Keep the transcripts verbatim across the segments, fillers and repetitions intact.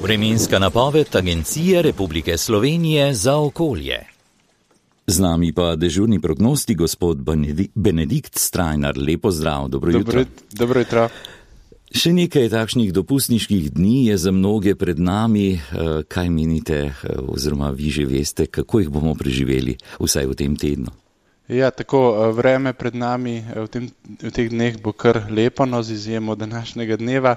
Vremenska napoved Agencije Republike Slovenije za okolje. Z nami pa dežurni prognostik gospod Benedikt Strajnar. Lepo zdrav, dobro jutro. Dobro jutro. Še nekaj takšnih dopustniških dni je za mnoge pred nami. Kaj menite, oziroma vi že veste, kako jih bomo preživeli, vsaj v tem tednu? Ja, tako vreme pred nami v, tem, v teh dneh bo kar lepo, no, z izjemo današnjega dneva,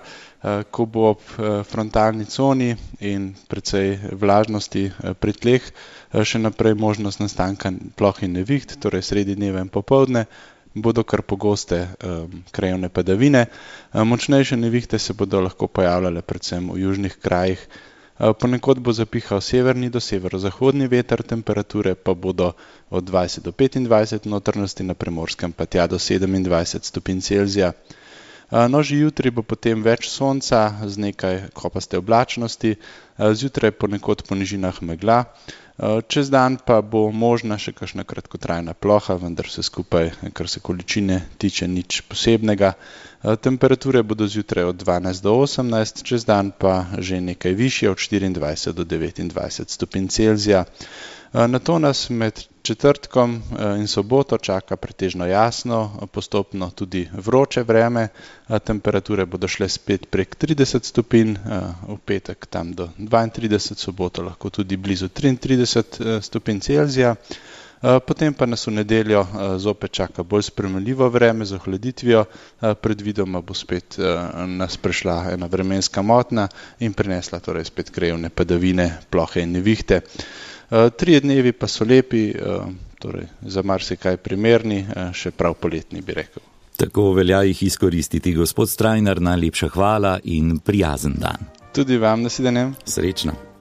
ko bo ob frontalni coni in precej vlažnosti pri tleh še naprej možnost nastanka ploh in neviht, torej sredi dneva in popoldne bodo kar pogoste um, krajevne padavine. Močnejše nevihte se bodo lahko pojavljale predvsem v južnih krajih. Ponekod bo zapihal severni do severozahodni veter, temperature pa bodo od dvajset do petindvajset, notranjosti na Primorskem pa tja do sedemindvajset stopinj Celzija. No, že jutri bo potem več sonca z nekaj kopaste oblačnosti, zjutraj ponekod po nižinah megla. Čez dan pa bo možna še kakšna kratkotrajna ploha, vendar vse skupaj, kar se količine tiče, nič posebnega. Temperature bodo zjutraj od dvanajst do osemnajst, čez dan pa že nekaj višje, od štiriindvajset do devetindvajset stopinj Celzija. Nato nas med četrtkom in soboto čaka pretežno jasno, postopno tudi vroče vreme. Temperature bodo šle spet prek trideset stopinj, v petek tam do dvaintrideset, soboto lahko tudi blizu triintrideset stopinj Celzija. Potem pa nas v nedeljo zopet čaka bolj sprejemljivo vreme z ohladitvijo, predvidoma bo spet nas prešla ena vremenska motnja in prinesla torej spet krajevne padavine, plohe in nevihte. Trije dnevi pa so lepi, torej za marsikaj primerni, še prav poletni bi rekel. Tako velja jih izkoristiti. Gospod Strajnar, najlepša hvala in prijazen dan. Tudi vam, nasvidenje. Srečno.